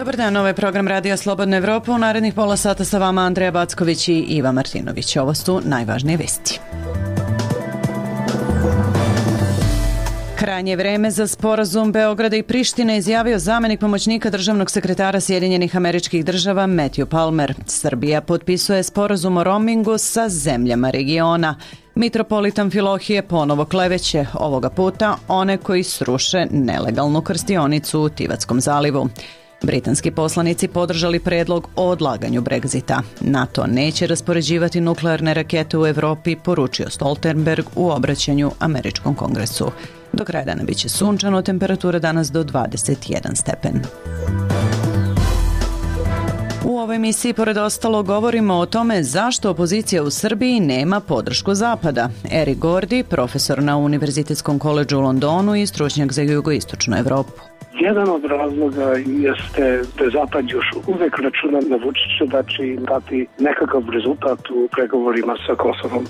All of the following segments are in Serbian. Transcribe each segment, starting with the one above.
Dobar dan, ovo je program Radija Slobodna Evropa. U narednih pola sata sa vama Andreja Backović i Iva Martinović. Ovo su najvažnije vesti. Krajnje vreme za sporazum Beograda i Prištine izjavio zamenik pomoćnika državnog sekretara Sjedinjenih Američkih Država Matthew Palmer. Srbija potpisuje sporazum o roamingu sa zemljama regiona. Mitropolit Amfilohije ponovo kleveće, ovoga puta one koji sruše nelegalnu krstionicu u Tivatskom zalivu. Britanski poslanici podržali predlog o odlaganju Brexita. NATO neće raspoređivati nuklearne rakete u Evropi, poručio Stoltenberg u obraćanju Američkom kongresu. Do kraja dana biće sunčano, temperatura danas do 21 stepen. U ovoj emisiji, pored ostalo, govorimo o tome zašto opozicija u Srbiji nema podršku Zapada. Eric Gordy, profesor na Univerzitetskom koledžu u Londonu i stručnjak za jugoistočnu Evropu. Jedan od razloga jeste da Zapad još uvek računa na Vučića da će im dati nekakav rezultat u pregovorima sa Kosovom.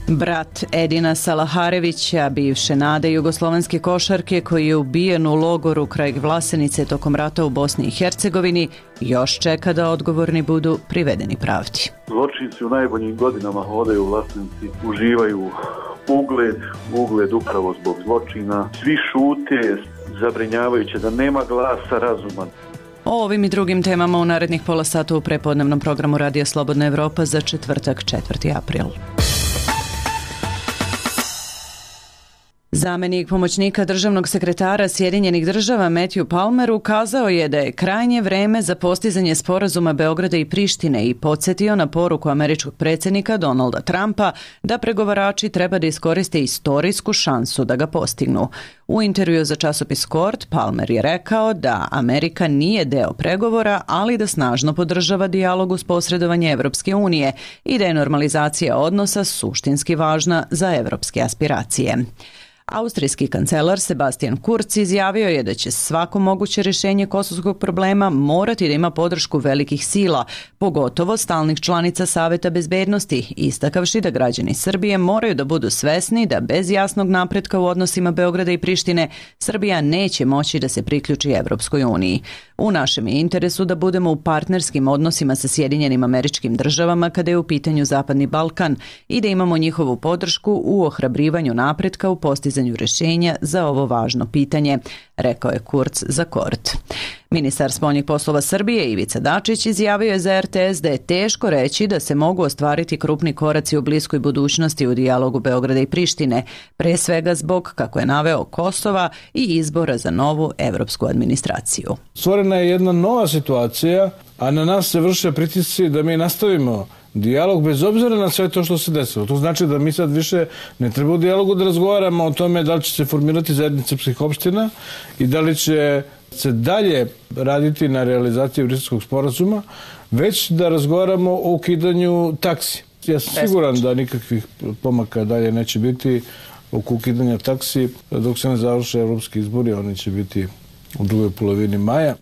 Brat Edina Salaharevića, bivše nade jugoslovenske košarke koji je ubijen u logoru kraj Vlasenice tokom rata u Bosni i Hercegovini, još čeka da odgovorni budu privedeni pravdi. Zločinci u najboljim godinama hodaju u Vlasenici, uživaju ugled upravo zbog zločina. Svi šute, zabrinjavajuće da nema glasa razuma. O ovim i drugim temama u narednih pola sata u prepodnevnom programu Radija Slobodna Evropa za četvrtak 4. april. Zamenik pomoćnika državnog sekretara Sjedinjenih Država Matthew Palmer ukazao je da je krajnje vreme za postizanje sporazuma Beograda i Prištine i podsjetio na poruku američkog predsjednika Donalda Trumpa da pregovarači treba da iskoriste istorijsku šansu da ga postignu. U intervju za časopis Court, Palmer je rekao da Amerika nije deo pregovora, ali da snažno podržava dijalog uz posredovanje Evropske unije i da je normalizacija odnosa suštinski važna za evropske aspiracije. Austrijski kancelar Sebastian Kurz izjavio je da će svako moguće rješenje kosovskog problema morati da ima podršku velikih sila, pogotovo stalnih članica Saveta bezbednosti, istakavši da građani Srbije moraju da budu svesni da bez jasnog napretka u odnosima Beograda i Prištine Srbija neće moći da se priključi Evropskoj uniji. U našem je interesu da budemo u partnerskim odnosima sa Sjedinjenim Američkim Državama kada je u pitanju Zapadni Balkan i da imamo njihovu podršku u ohrabrivanju napretka u postizanju rješenja za ovo važno pitanje, rekao je Kurz za Court. Ministar spoljnih poslova Srbije Ivica Dačić izjavio je za RTS da je teško reći da se mogu ostvariti krupni koraci u bliskoj budućnosti u dijalogu Beograda i Prištine, pre svega zbog, kako je naveo, Kosova i izbora za novu evropsku administraciju. Stvorena je jedna nova situacija, a na nas se vrše pritisci da mi nastavimo dijalog bez obzira na sve to što se desilo. To znači da mi sad više ne treba u dijalogu da razgovaramo o tome da li će se formirati zajednice srpskih opština i da li će se dalje raditi na realizaciji Briselskog sporazuma, već da razgovaramo o ukidanju taksi. Ja sam siguran da nikakvih pomaka dalje neće biti oko ukidanja taksi dok se ne završe evropski izbori, oni će biti u drugoj polovini maja.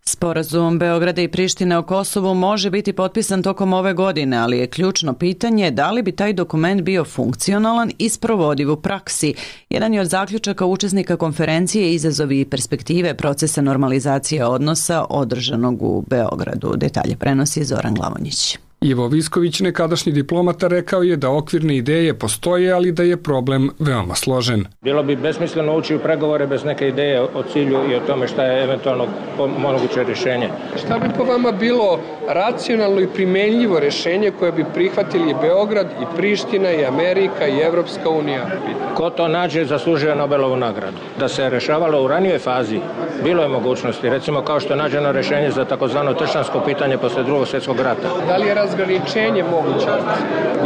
Sporazum Beograda i Prištine o Kosovu može biti potpisan tokom ove godine, ali je ključno pitanje da li bi taj dokument bio funkcionalan i sprovodiv u praksi. Jedan je od zaključaka učesnika konferencije izazovi i perspektive procesa normalizacije odnosa održanog u Beogradu. Detalje prenosi Zoran Glavonjić. Ivo Visković, nekadašnji diplomata, rekao je da okvirne ideje postoje, ali da je problem veoma složen. Bilo bi besmisleno ući u pregovore bez neke ideje o cilju i o tome šta je eventualno moguće rješenje. Šta bi po vama bilo racionalno i primenljivo rješenje koje bi prihvatili Beograd i Priština i Amerika i Evropska unija? Ko to nađe zaslužuje Nobelovu nagradu. Da se rešavalo u ranijoj fazi, bilo je mogućnosti, recimo kao što je nađeno rješenje za takozvano tršćansko pitanje posle Drugog svjetskog rata. Da li je razgraničenje moguće?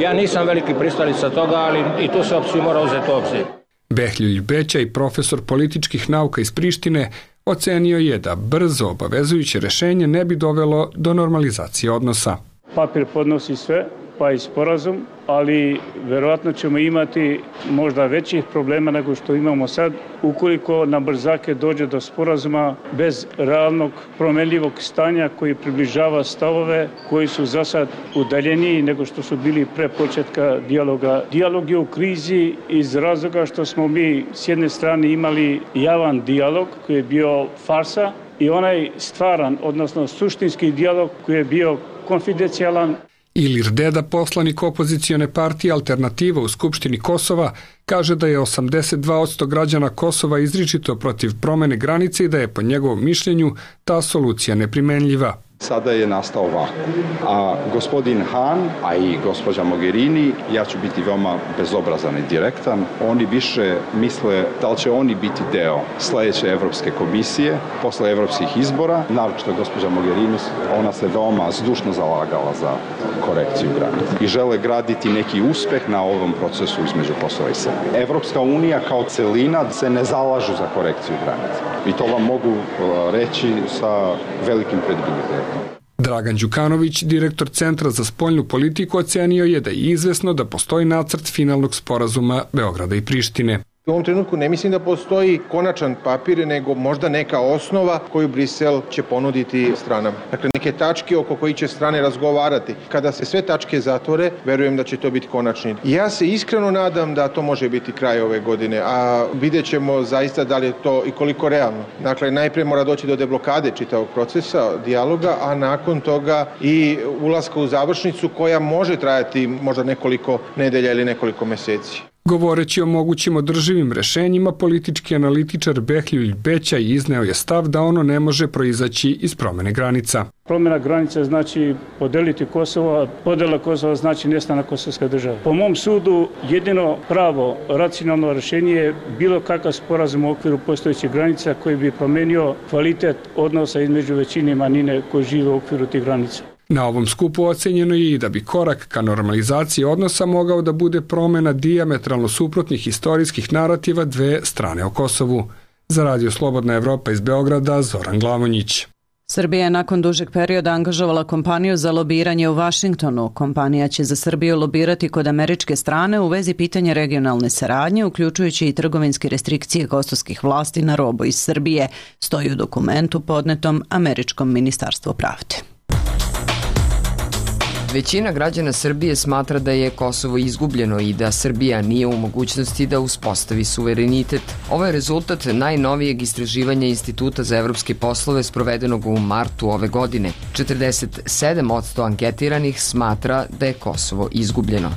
Ja nisam veliki pristalica toga, ali i tu se opciju mora uzeti u obzir. Behljuj Bećaj, profesor političkih nauka iz Prištine, ocenio je da brzo obavezujuće rješenje ne bi dovelo do normalizacije odnosa. Papir podnosi sve, pa i sporazum, ali verovatno ćemo imati možda većih problema nego što imamo sad ukoliko na brzake dođe do sporazuma bez realnog promenljivog stanja koji približava stavove koji su za sad udaljeniji nego što su bili pre početka dijaloga. Dijalog je u krizi iz razloga što smo mi s jedne strane imali javan dijalog koji je bio farsa i onaj stvaran, odnosno suštinski dijalog koji je bio konfidencijalan. Ilir Deda, poslanik opozicione partije Alternativa u Skupštini Kosova, kaže da je 82% građana Kosova izričito protiv promene granice i da je po njegovom mišljenju ta solucija neprimenljiva. Sada je nastao vakuum, a gospodin Han, a i gospođa Mogherini, ja ću biti veoma bezobrazan i direktan, oni više misle da li će oni biti deo sledeće Evropske komisije posle evropskih izbora, naročito gospođa Mogherini, ona se veoma zdušno zalagala za korekciju granica i žele graditi neki uspeh na ovom procesu između Kosova i Srbije. Evropska unija kao celina se ne zalažu za korekciju granica i to vam mogu reći sa velikim kredibilitetom. Dragan Đukanović, direktor Centra za spoljnu politiku, ocenio je da je izvesno da postoji nacrt finalnog sporazuma Beograda i Prištine. U ovom trenutku ne mislim da postoji konačan papir, nego možda neka osnova koju Brisel će ponuditi stranama. Dakle, neke tačke oko kojih će strane razgovarati. Kada se sve tačke zatvore, verujem da će to biti konačni. Ja se iskreno nadam da to može biti kraj ove godine, a vidjet ćemo zaista da li je to i koliko realno. Dakle, najprije mora doći do deblokade čitavog procesa, dijaloga, a nakon toga i ulaska u završnicu koja može trajati možda nekoliko nedelja ili nekoliko meseci. Govoreći o mogućim održivim rešenjima, politički analitičar Behljuj Bećaj izneo je stav da ono ne može proizaći iz promene granica. Promjena granica znači podeliti Kosovo, podela Kosova znači nestanak kosovske države. Po mom sudu jedino pravo, racionalno rješenje je bilo kakav sporazum u okviru postojećih granica koji bi promenio kvalitet odnosa između većine i manjine koji žive u okviru tih granica. Na ovom skupu ocenjeno je i da bi korak ka normalizaciji odnosa mogao da bude promena dijametralno suprotnih istorijskih narativa dve strane o Kosovu. Za Radio Slobodna Evropa iz Beograda, Zoran Glavonjić. Srbija je nakon dužeg perioda angažovala kompaniju za lobiranje u Vašingtonu. Kompanija će za Srbiju lobirati kod američke strane u vezi pitanja regionalne saradnje, uključujući i trgovinske restrikcije kosovskih vlasti na robu iz Srbije, stoji u dokumentu podnetom Američkom ministarstvu pravde. Većina građana Srbije smatra da je Kosovo izgubljeno i da Srbija nije u mogućnosti da uspostavi suverenitet. Ovo je rezultat najnovijeg istraživanja Instituta za evropske poslove sprovedenog u martu ove godine. 47% anketiranih smatra da je Kosovo izgubljeno.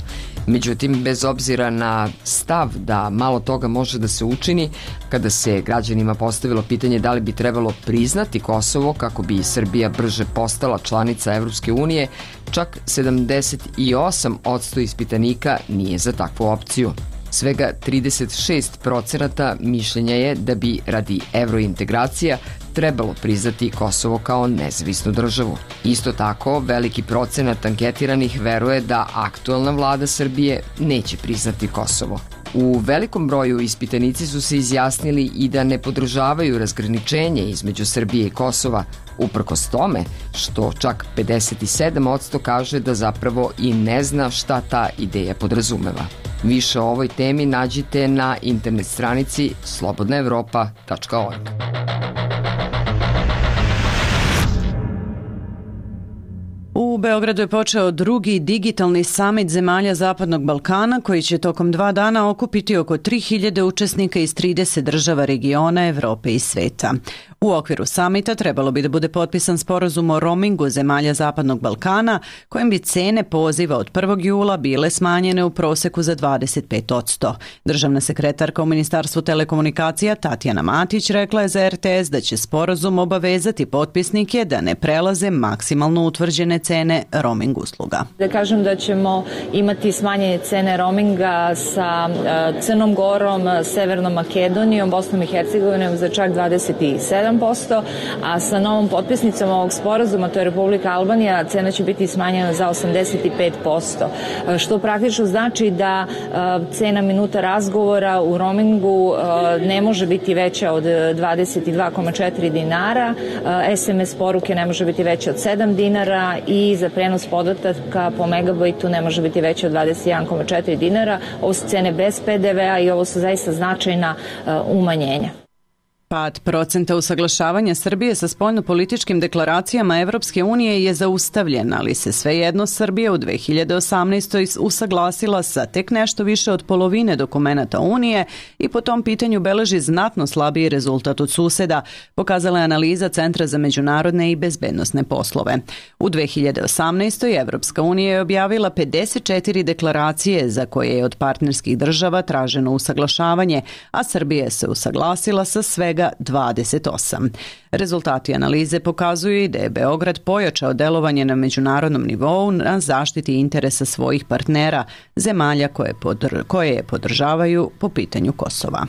Međutim, bez obzira na stav da malo toga može da se učini, kada se građanima postavilo pitanje da li bi trebalo priznati Kosovo kako bi Srbija brže postala članica Evropske unije, čak 78% ispitanika nije za takvu opciju. Svega 36% mišljenja je da bi radi evrointegracija trebalo priznati Kosovo kao nezavisnu državu. Isto tako, veliki procenat anketiranih veruje da aktuelna vlada Srbije neće priznati Kosovo. U velikom broju ispitanici su se izjasnili i da ne podržavaju razgraničenje između Srbije i Kosova, uprkos tome što čak 57% kaže da zapravo i ne zna šta ta ideja podrazumeva. Više o ovoj temi nađite na internet stranici slobodnaevropa.org. U Beogradu je počeo drugi digitalni samit zemalja Zapadnog Balkana koji će tokom 2 dana okupiti oko 3000 učesnika iz 30 država regiona, Evrope i sveta. U okviru samita trebalo bi da bude potpisan sporazum o roamingu zemalja Zapadnog Balkana, kojim bi cene poziva od 1. jula bile smanjene u proseku za 25%. Državna sekretarka u Ministarstvu telekomunikacija Tatjana Matić rekla je za RTS da će sporazum obavezati potpisnike da ne prelaze maksimalno utvrđene cene roaming usluga. Da kažem da ćemo imati smanjene cene roaminga sa Crnom Gorom, Severnom Makedonijom, Bosnom i Hercegovinom za čak 27%, a sa novom potpisnicom ovog sporazuma, to je Republika Albanija, cena će biti smanjena za 85%, što praktično znači da cena minuta razgovora u roamingu ne može biti veća od 22,4 dinara, SMS poruke ne može biti veća od 7 dinara i za prenos podataka po megabajtu ne može biti veća od 21,4 dinara. Ovo su cene bez PDV-a i ovo su zaista značajna umanjenja. Pad procenta usaglašavanja Srbije sa spoljnopolitičkim deklaracijama Evropske unije je zaustavljen, ali se svejedno Srbija u 2018. usaglasila sa tek nešto više od polovine dokumenata Unije i po tom pitanju beleži znatno slabiji rezultat od suseda, pokazala je analiza Centra za međunarodne i bezbednosne poslove. U 2018. Evropska unija je objavila 54 deklaracije za koje je od partnerskih država traženo usaglašavanje, a Srbija se usaglasila sa svega 28. Rezultati analize pokazuju i da je Beograd pojačao delovanje na međunarodnom nivou na zaštiti interesa svojih partnera, zemalja koje je podržavaju po pitanju Kosova.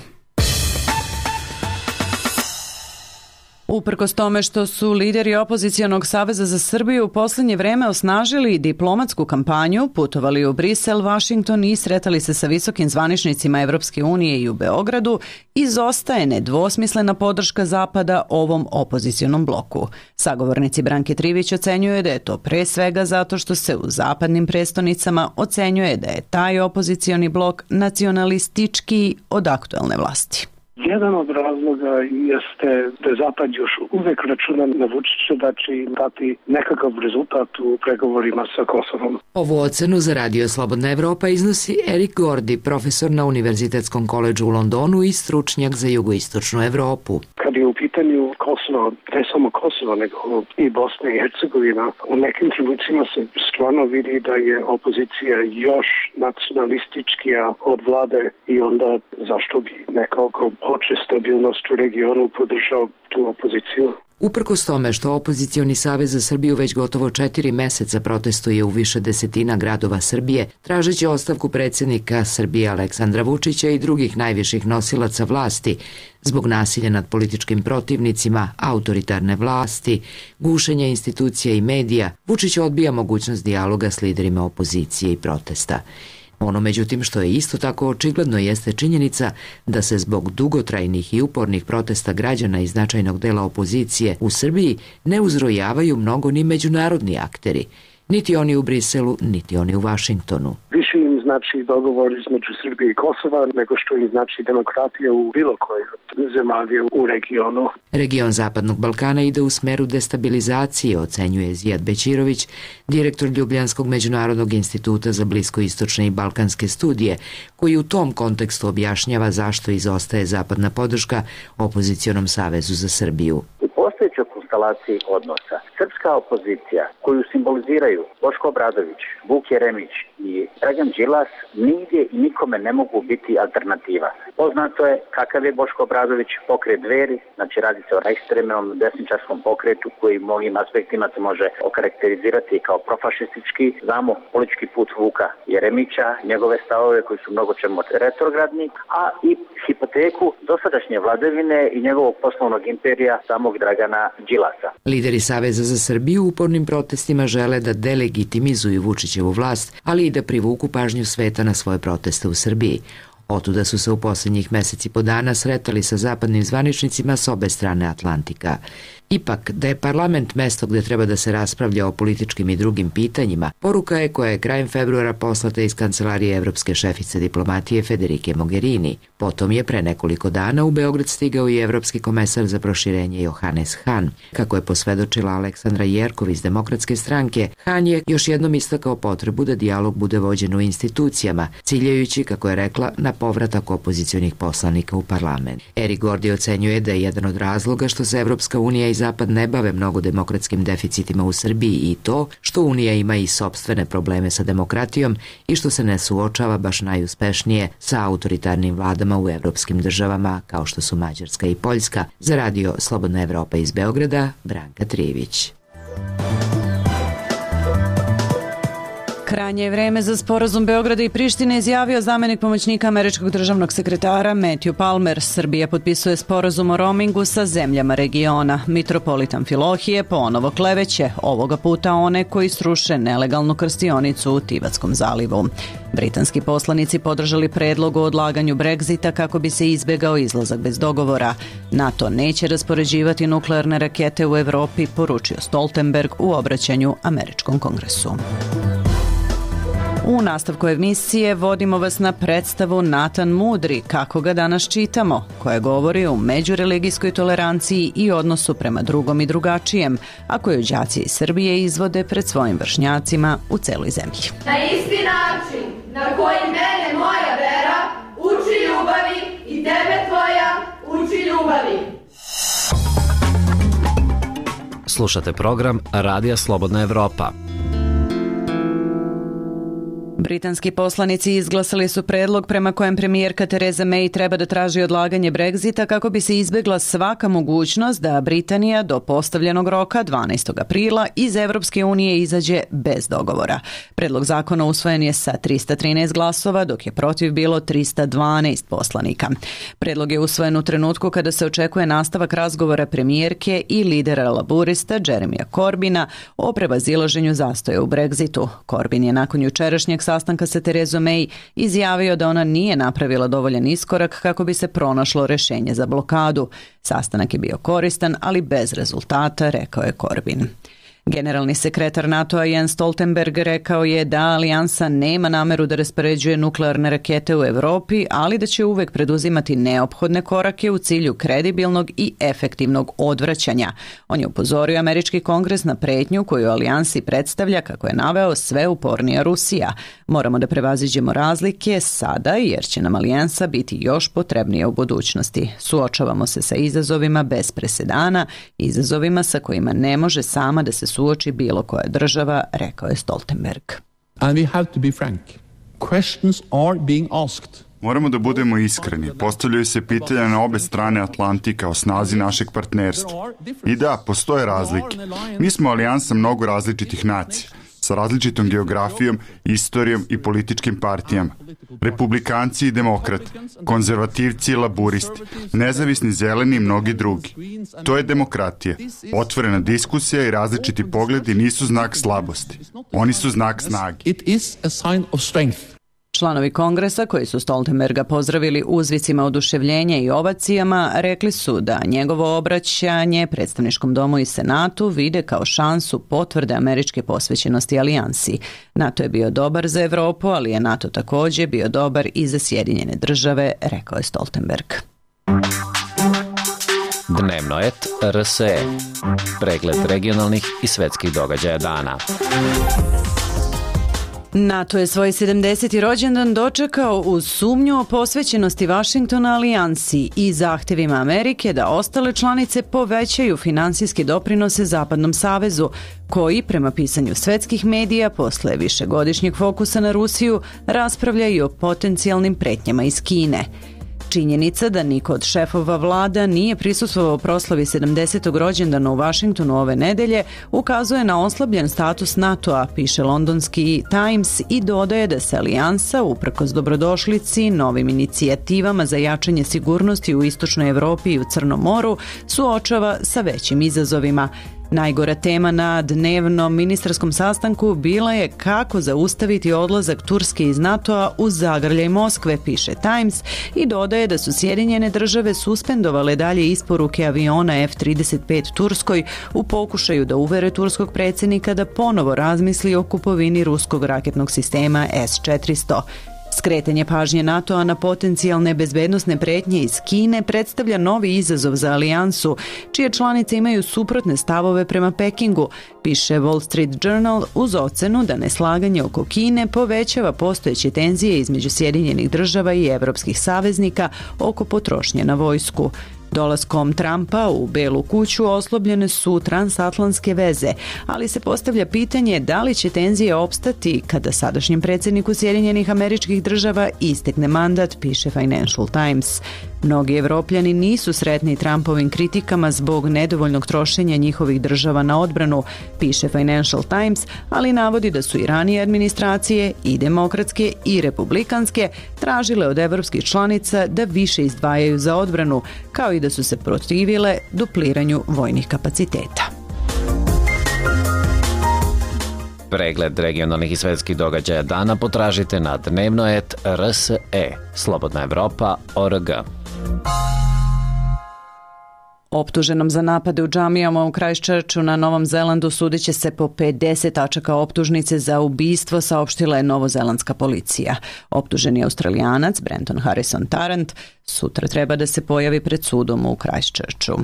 Uprkos tome što su lideri opozicionog Saveza za Srbiju u poslednje vreme osnažili diplomatsku kampanju, putovali u Brisel, Vašington i sretali se sa visokim zvaničnicima Evropske unije i u Beogradu, izostaje nedvosmislena podrška Zapada ovom opozicionom bloku. Sagovornici Branke Trivić ocenjuje da je to pre svega zato što se u zapadnim prestonicama ocenjuje da je taj opozicioni blok nacionalističkiji od aktuelne vlasti. Jedan od razloga jeste da Zapad još uvek računa na Vučića da će im dati nekakav rezultat u pregovorima sa Kosovom. Ovu ocenu za Radio Slobodna Evropa iznosi Erik Gordi, profesor na Univerzitetskom koledžu u Londonu i stručnjak za jugoistočnu Evropu. Kad je u pitanju Kosovo, ne samo Kosovo, nego i Bosna i Hercegovina, u nekim trenucima se stvarno vidi da je opozicija još nacionalističkija od vlade i onda zašto bi nekako hoće stabilnost u regionu podržao tu opoziciju. Uprkos tome što opozicioni Savez za Srbiju već gotovo 4 meseca protestuje u više desetina gradova Srbije, tražeći ostavku predsjednika Srbije Aleksandra Vučića i drugih najviših nosilaca vlasti zbog nasilja nad političkim protivnicima, autoritarne vlasti, gušenja institucija i medija, Vučić odbija mogućnost dijaloga s liderima opozicije i protesta. Ono, međutim, što je isto tako očigledno jeste činjenica da se zbog dugotrajnih i upornih protesta građana i značajnog dela opozicije u Srbiji ne uzrojavaju mnogo ni međunarodni akteri, niti oni u Briselu, niti oni u Vašingtonu. Više im znači dogovor između Srbije i Kosova nego što im znači demokratija u bilo kojoj zemalje u regionu. Region Zapadnog Balkana ide u smeru destabilizacije, ocenjuje Zijad Bećirović, direktor Ljubljanskog međunarodnog instituta za bliskoistočne i balkanske studije, koji u tom kontekstu objašnjava zašto izostaje zapadna podrška opozicionom Savezu za Srbiju. Postojećoj konstelaciji odnosa srpska opozicija koju simboliziraju Boško Obradović, Vuk Jeremić i Dragan Đilas nigdje i nikome ne mogu biti alternativa. Poznato je kakav je Boško Obradović pokret Dveri, znači radi se o ekstremnom desničarskom pokretu koji u mnogim aspektima se može okarakterizirati kao profašistički. Znamo politički put Vuka Jeremića, njegove stavove koji su mnogo čemu retrogradni, a i hipoteku dosadašnje vladavine i njegovog poslovnog imperija samog Dragana Đilasa. Lideri Saveza za Srbiju u upornim protestima žele da delegitimizuju Vučićevu vlast, ali i da privuku pažnju sveta na svoje proteste u Srbiji. Otuda su se u posljednjih meseci po dana sretali sa zapadnim zvaničnicima s obe strane Atlantika. Ipak, da je parlament mesto gde treba da se raspravlja o političkim i drugim pitanjima, poruka je koja je krajem februara poslata iz kancelarije evropske šefice diplomatije Federike Mogherini. Potom je pre nekoliko dana u Beograd stigao i evropski komesar za proširenje Johannes Hahn. Kako je posvedočila Aleksandra Jerkov iz Demokratske stranke, Hahn je još jednom istakao potrebu da dijalog bude vođen u institucijama, ciljajući, kako je rekla, na povratak opozicionih poslanika u parlament. Erik Gordi ocenjuje da je jedan od razloga što se Evropska unija i Zapad ne bave mnogo demokratskim deficitima u Srbiji i to što Unija ima i sopstvene probleme sa demokratijom i što se ne suočava baš najuspešnije sa autoritarnim vladama u evropskim državama kao što su Mađarska i Poljska. Za Radio Slobodna Evropa iz Beograda, Branka Trivić. Krajnje je vreme za sporazum Beograda i Prištine, izjavio zamenik pomoćnika američkog državnog sekretara Matthew Palmer. Srbija potpisuje sporazum o roamingu sa zemljama regiona. Mitropolit Amfilohije ponovo kleveće, ovoga puta one koji sruše nelegalnu krstionicu u Tivatskom zalivu. Britanski poslanici podržali predlog o odlaganju Brexita kako bi se izbegao izlazak bez dogovora. NATO neće raspoređivati nuklearne rakete u Evropi, poručio Stoltenberg u obraćanju američkom kongresu. U nastavku emisije vodimo vas na predstavu Natan Mudri, kako ga danas čitamo, koja govori o međureligijskoj toleranciji i odnosu prema drugom i drugačijem, a koju đaci iz Srbije izvode pred svojim vršnjacima u celoj zemlji. Na isti način na koji mene moja vera uči ljubavi i tebe tvoja uči ljubavi. Slušate program Radija Slobodna Evropa. Britanski poslanici izglasali su predlog prema kojem premijerka Theresa May treba da traži odlaganje Brexita kako bi se izbegla svaka mogućnost da Britanija do postavljenog roka 12. aprila iz Evropske unije izađe bez dogovora. Predlog zakona usvojen je sa 313 glasova, dok je protiv bilo 312 poslanika. Predlog je usvojen u trenutku kada se očekuje nastavak razgovora premijerke i lidera laburista Jeremya Corbyna o prevazilaženju zastoja u Brexitu. Corbyn je nakon jučerašnjeg sastanka sa Therezom May izjavio da ona nije napravila dovoljan iskorak kako bi se pronašlo rešenje za blokadu. Sastanak je bio koristan, ali bez rezultata, rekao je Corbyn. Generalni sekretar NATO-a Jens Stoltenberg rekao je da alijansa nema nameru da raspoređuje nuklearne rakete u Evropi, ali da će uvek preduzimati neophodne korake u cilju kredibilnog i efektivnog odvraćanja. On je upozorio američki kongres na pretnju koju alijansi predstavlja, kako je naveo, sve upornija Rusija. Moramo da prevaziđemo razlike sada, jer će nam alijansa biti još potrebnija u budućnosti. Suočavamo se sa izazovima bez presedana, izazovima sa kojima ne može sama da se suoči bilo koja država, rekao je Stoltenberg. And we have to be frank. Questions are being asked. Moramo da budemo iskreni. Postavljaju se pitanja na obe strane Atlantika o snazi našeg partnerstva. I da, postoje razlike. Mi smo alijansa mnogo različitih nacija, sa različitom geografijom, istorijom i političkim partijama. Republikanci i demokrati, konzervativci i laburisti, nezavisni zeleni i mnogi drugi. To je demokratija. Otvorena diskusija i različiti pogledi nisu znak slabosti. Oni su znak snage. It is a sign of strength. Članovi kongresa, koji su Stoltenberga pozdravili uzvicima oduševljenja i ovacijama, rekli su da njegovo obraćanje predstavničkom domu i senatu vide kao šansu potvrde američke posvećenosti alijansi. NATO je bio dobar za Evropu, ali je NATO također bio dobar i za Sjedinjene države, rekao je Stoltenberg. Dnevno et RSE. Pregled regionalnih i svetskih događaja dana. NATO je svoj 70. rođendan dočekao uz sumnju o posvećenosti Vašingtona alijansi i zahtevima Amerike da ostale članice povećaju finansijske doprinose Zapadnom savezu, koji, prema pisanju svetskih medija, posle višegodišnjeg fokusa na Rusiju, raspravlja i o potencijalnim pretnjama iz Kine. Činjenica da niko od šefova vlada nije prisustvovao proslavi 70. rođendana u Vašingtonu ove nedelje ukazuje na oslabljen status NATO-a, piše londonski Times, i dodaje da se alijansa, uprkos dobrodošlici, novim inicijativama za jačanje sigurnosti u Istočnoj Evropi i u Crnom moru, suočava sa većim izazovima. Najgora tema na dnevnom ministarskom sastanku bila je kako zaustaviti odlazak Turske iz NATO-a uz zagrljaj Moskve, piše Times, i dodaje da su Sjedinjene države suspendovale dalje isporuke aviona F-35 Turskoj u pokušaju da uvere turskog predsjednika da ponovo razmisli o kupovini ruskog raketnog sistema S-400. Skretanje pažnje NATO-a na potencijalne bezbednosne pretnje iz Kine predstavlja novi izazov za alijansu, čije članice imaju suprotne stavove prema Pekingu, piše Wall Street Journal, uz ocenu da neslaganje oko Kine povećava postojeće tenzije između Sjedinjenih država i evropskih saveznika oko potrošnje na vojsku. Dolaskom Trumpa u Belu kuću oslobljene su transatlantske veze, ali se postavlja pitanje da li će tenzije opstati kada sadašnjem predsjedniku Sjedinjenih Američkih Država istekne mandat, piše Financial Times. Mnogi Evropljani nisu sretni Trumpovim kritikama zbog nedovoljnog trošenja njihovih država na odbranu, piše Financial Times, ali navodi da su i ranije administracije, i demokratske i republikanske, tražile od evropskih članica da više izdvajaju za odbranu, kao i da su se protivile dupliranju vojnih kapaciteta. Pregled regionalnih i svetskih događaja dana potražite na dnevno.rs.e, slobodnaevropa.org. Optuženom za napade u džamijama u Christchurchu na Novom Zelandu sudit će se po 50 tačaka optužnice za ubistvo, saopštila je novozelandska policija. Optuženi Australijanac Brenton Harrison Tarrant sutra treba da se pojavi pred sudom u Christchurchu.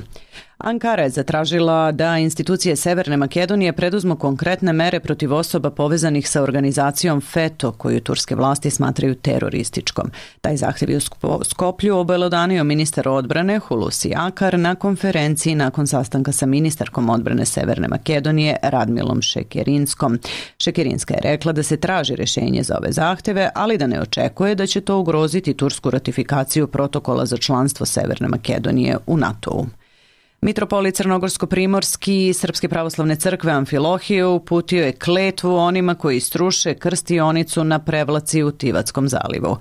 Ankara je zatražila da institucije Severne Makedonije preduzmu konkretne mere protiv osoba povezanih sa organizacijom FETO, koju turske vlasti smatraju terorističkom. Taj zahtjev je u Skoplju obelodanio ministar odbrane Hulusi Akar na konferenciji nakon sastanka sa ministarkom odbrane Severne Makedonije Radmilom Šekerinskom. Šekerinska je rekla da se traži rješenje za ove zahtjeve, ali da ne očekuje da će to ugroziti tursku ratifikaciju protokola za članstvo Severne Makedonije u NATO-u. Mitropolit Crnogorsko-primorski Srpske pravoslavne crkve Amfilohije uputio je kletvu onima koji struše krstionicu na prevlaci u Tivatskom zalivu.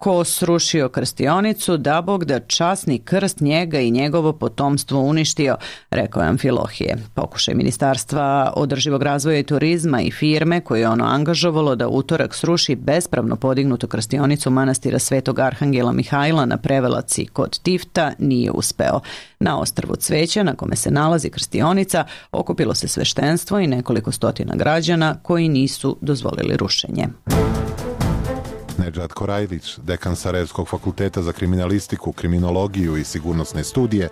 Ko srušio krstionicu, da Bog da časni krst njega i njegovo potomstvo uništio, rekao je Amfilohije. Pokušaj Ministarstva održivog razvoja i turizma i firme koje je ono angažovalo da utorak sruši bespravno podignutu krstionicu manastira Svetog Arhangela Mihajla na prevelaci kod Tifta nije uspeo. Na ostrvu Cveća, na kome se nalazi krstionica, okupilo se sveštenstvo i nekoliko stotina građana koji nisu dozvolili rušenje. Nedžad Korajlić, dekan Sarajevskog fakulteta za kriminalistiku, kriminologiju i sigurnosne studije,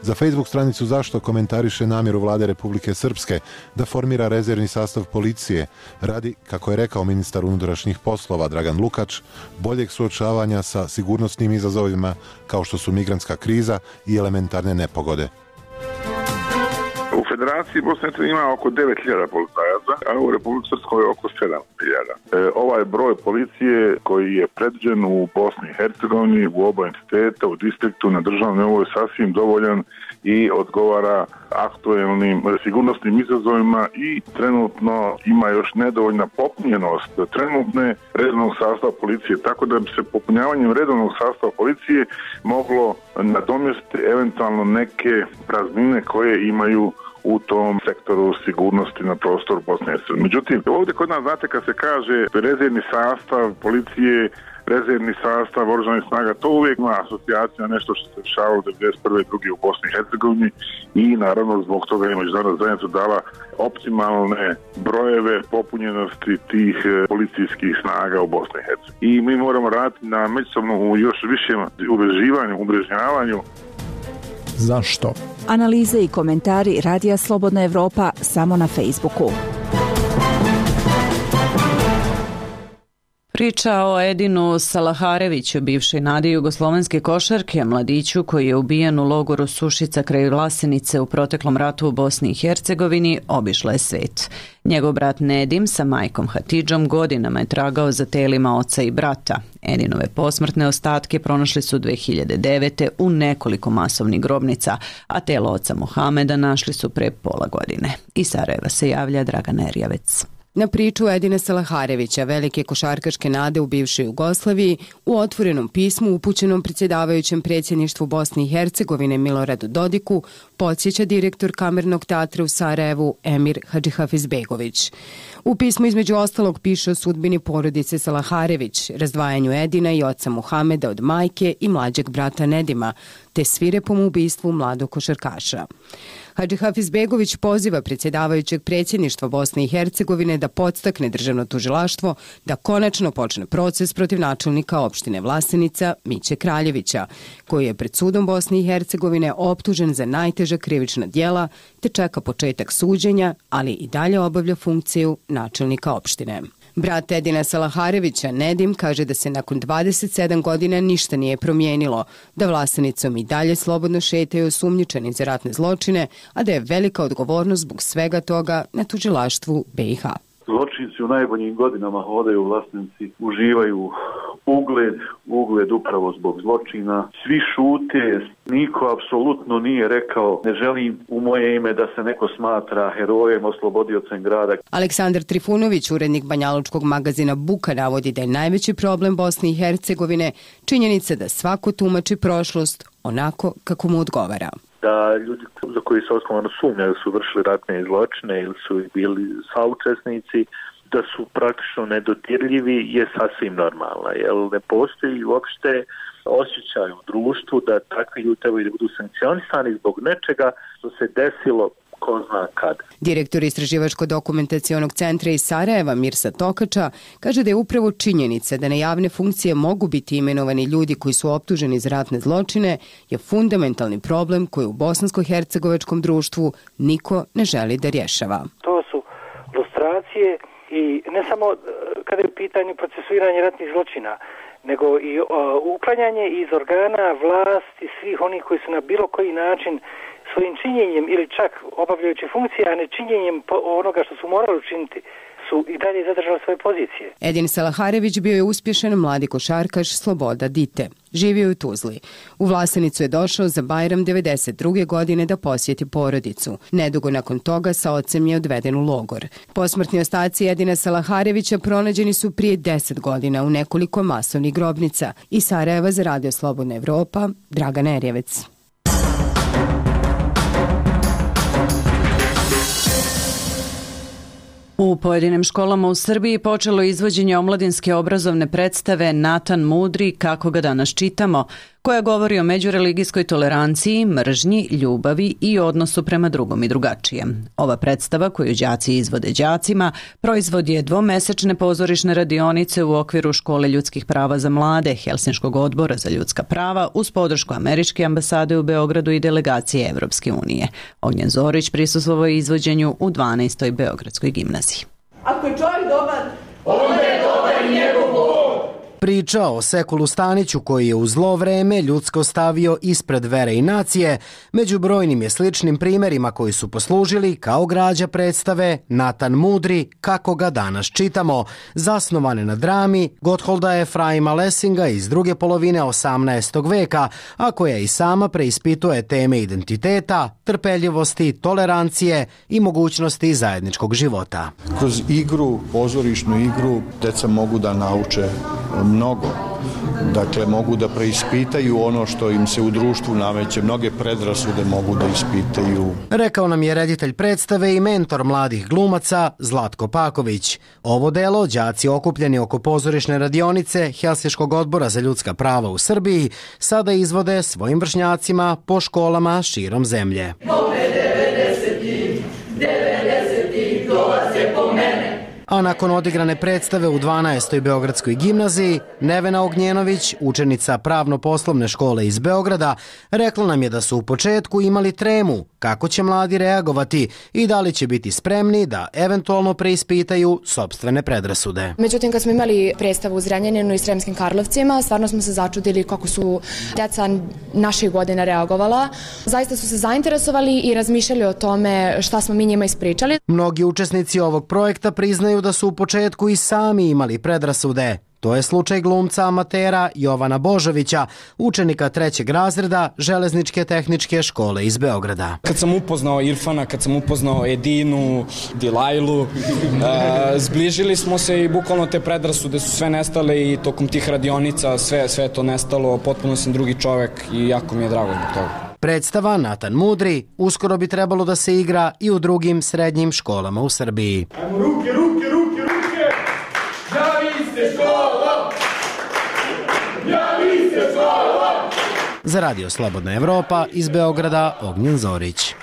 za Facebook stranicu Zašto komentariše namjeru vlade Republike Srpske da formira rezervni sastav policije radi, kako je rekao ministar unutrašnjih poslova Dragan Lukač, boljeg suočavanja sa sigurnosnim izazovima kao što su migrantska kriza i elementarne nepogode. U Federaciji Bosne i Hercegovine ima oko 9.000 policajaca, a u Republici Srpskoj oko 7.000. Ovaj broj policije koji je predviđen u Bosni i Hercegovini, u oba entiteta, u distriktu, na državnom nivou je sasvim dovoljan i odgovara aktuelnim sigurnosnim izazovima i trenutno ima još nedovoljna popunjenost trenutne redovnog sastava policije, tako da bi se popunjavanjem redovnog sastava policije moglo nadomjestiti eventualno neke praznine koje imaju u tom sektoru sigurnosti na prostoru Bosne i Hercegovine. Međutim, ovdje kod nas, znate, kad se kaže rezervni sastav policije, rezervni sastav oružanih snaga, to uvijek ima asocijacija na nešto što se dešavalo 1991. i 1992. u Bosni i Hercegovini i naravno zbog toga je međunarodna zajednica dala optimalne brojeve popunjenosti tih policijskih snaga u Bosni i Hercegovini. I mi moramo raditi na međusobnom još višem umrežnjavanju. Zašto? Analize i komentari Radija Slobodna Evropa samo na Facebooku. Priča o Edinu Salahareviću, bivšoj nadi jugoslovenske košarke, mladiću koji je ubijen u logoru Sušica kraj Vlasenice u proteklom ratu u Bosni i Hercegovini, obišla je svet. Njegov brat Nedim sa majkom Hatidžom godinama je tragao za telima oca i brata. Edinove posmrtne ostatke pronašli su 2009. u nekoliko masovnih grobnica, a telo oca Mohameda našli su pre pola godine. Iz Sarajeva se javlja Dragana Erjavec. Na priču Edina Salaharevića, velike košarkaške nade u bivšoj Jugoslaviji, u otvorenom pismu upućenom predsjedavajućem predsjedništvu Bosne i Hercegovine Miloradu Dodiku, podsjeća direktor Kamernog teatra u Sarajevu Emir Hadžihafizbegović. U pismu između ostalog piše o sudbini porodice Salaharević, razdvajanju Edina i oca Muhameda od majke i mlađeg brata Nedima, te svirepom ubistvu mladog košarkaša. Hadžihafizbegović poziva predsjedavajućeg predsjedništva Bosne i Hercegovine da podstakne državno tužilaštvo da konačno počne proces protiv načelnika opštine Vlasenica Miće Kraljevića, koji je pred sudom Bosne i Hercegovine optužen za najteža krivična djela te čeka početak suđenja, ali i dalje obavlja funkciju načelnika opštine. Brat Edina Salaharevića, Nedim, kaže da se nakon 27 godina ništa nije promijenilo, da Vlasenicom i dalje slobodno šetaju osumnjičeni za ratne zločine, a da je velika odgovornost zbog svega toga na tužilaštvu BiH. Zločinci u najboljim godinama hodaju u Vlasnici, uživaju ugled upravo zbog zločina. Svi šute, niko apsolutno nije rekao ne želim u moje ime da se neko smatra herojem, oslobodiocem grada. Aleksandar Trifunović, urednik banjalučkog magazina Buka, navodi da je najveći problem Bosne i Hercegovine činjenica da svako tumači prošlost onako kako mu odgovara. Da ljudi za koji se osnovano sumnjaju su vršili ratne zločine ili su bili saučesnici, da su praktično nedodirljivi je sasvim normalna, jer ne postoji uopšte osjećaj u društvu da takvi ljudi trebaju da budu sankcionisani zbog nečega što se desilo ko zna kad. Direktor Istraživačko-dokumentacionog centra iz Sarajeva, Mirsa Tokača, kaže da je upravo činjenica da na javne funkcije mogu biti imenovani ljudi koji su optuženi za ratne zločine je fundamentalni problem koji u bosansko-hercegovačkom društvu niko ne želi da rješava. To su lustracije i ne samo kada je u pitanju procesuiranje ratnih zločina, nego i uklanjanje iz organa vlasti svih onih koji su na bilo koji način svojim činjenjem ili čak obavljajući funkcije, a ne činjenjem onoga što su morali učiniti, su i dalje zadržali svoje pozicije. Edin Salaharević bio je uspješan mladi košarkaš Sloboda Dite. Živio je u Tuzli. U Vlasenicu je došao za Bajram 92. godine da posjeti porodicu. Nedugo nakon toga sa ocem je odveden u logor. Posmrtni ostaci Edina Salaharevića pronađeni su prije 10 godina u nekoliko masovnih grobnica. Iz Sarajeva za Radio Slobodna Evropa, Dragana Erjevec. U pojedinim školama u Srbiji počelo izvođenje omladinske obrazovne predstave Natan Mudri, kako ga danas čitamo, koja govori o međureligijskoj toleranciji, mržnji, ljubavi i odnosu prema drugom i drugačijem. Ova predstava, koju đaci izvode đacima, proizvod je dvomesečne pozorišne radionice u okviru Škole ljudskih prava za mlade, Helsinškog odbora za ljudska prava, uz podršku Američke ambasade u Beogradu i delegacije Evropske unije. Ognjen Zorić prisustvovao je izvođenju u 12. Beogradskoj gimnaziji. Ako je čovjek dobar, onda je dobar i njegov Bog. Priča o Sekulu Staniću koji je u zlo vreme ljudsko stavio ispred vere i nacije, među brojnim je sličnim primjerima koji su poslužili kao građa predstave Natan Mudri, kako ga danas čitamo, zasnovane na drami Gottholda Efraima Lessinga iz druge polovine 18. veka, a koja i sama preispituje teme identiteta, trpeljivosti, tolerancije i mogućnosti zajedničkog života. Kroz igru, pozorišnu igru, deca mogu da nauče mnogo. Dakle, mogu da preispitaju ono što im se u društvu nameće, mnoge predrasude mogu da ispitaju. Rekao nam je reditelj predstave i mentor mladih glumaca Zlatko Paković. Ovo delo đaci okupljeni oko pozorišne radionice Helsinškog odbora za ljudska prava u Srbiji sada izvode svojim vršnjacima po školama širom zemlje. A nakon odigrane predstave u 12. Beogradskoj gimnaziji, Nevena Ognjenović, učenica pravno-poslovne škole iz Beograda, rekla nam je da su u početku imali tremu kako će mladi reagovati i da li će biti spremni da eventualno preispitaju sopstvene predrasude. Međutim, kad smo imali predstavu u Zrenjaninu i Sremskim Karlovcima, stvarno smo se začudili kako su deca naših godina reagovala. Zaista su se zainteresovali i razmišljali o tome šta smo mi njima ispričali. Mnogi učesnici ovog projekta priznaju da su u početku i sami imali predrasude. To je slučaj glumca amatera Jovana Božovića, učenika 3. razreda Železničke tehničke škole iz Beograda. Kad sam upoznao Irfana, kad sam upoznao Edinu, Dilajlu, zbližili smo se i bukvalno te predrasude su sve nestale i tokom tih radionica sve je to nestalo, potpuno sam drugi čovek i jako mi je drago zbog toga. Predstava Natan Mudri uskoro bi trebalo da se igra i u drugim srednjim školama u Srbiji. Ajmo ruke! Javiste škola! Javiste škola! Za Radio Slobodna Evropa iz Beograda, Ognjen Zorić.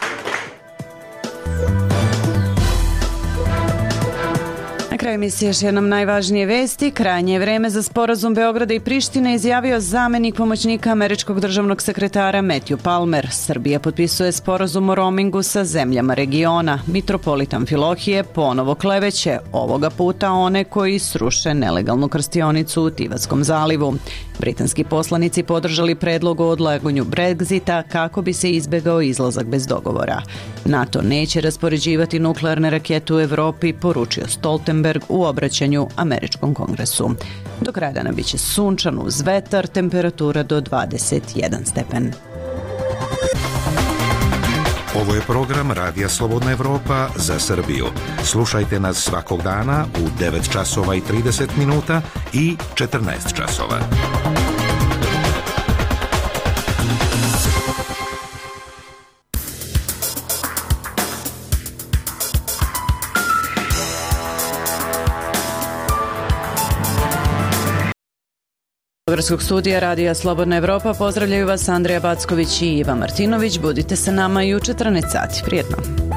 Na kraju emisije još jednom najvažnije vesti. Krajnje je vreme za sporazum Beograda i Prištine izjavio zamenik pomoćnika američkog državnog sekretara Matthew Palmer. Srbija potpisuje sporazum o roamingu sa zemljama regiona. Mitropolit Amfilohije ponovo kleveće, ovoga puta one koji sruše nelegalnu krstionicu u Tivatskom zalivu. Britanski poslanici podržali predlog o odlaganju Brexita kako bi se izbegao izlazak bez dogovora. NATO neće raspoređivati nuklearne rakete u Evropi, poručio Stoltenberg u obraćanju Američkom kongresu. Do kraja dana biće sunčano uz vetar, temperatura do 21 stepen. Ovo je program Radija Slobodna Evropa za Srbiju. Slušajte nas svakog dana u 9 časova i 30 minuta i 14 časova. Beogradskog studija Radija Slobodna Evropa pozdravljaju vas Andrija Backović i Iva Martinović. Budite sa nama i u 14 sati. Prijetno.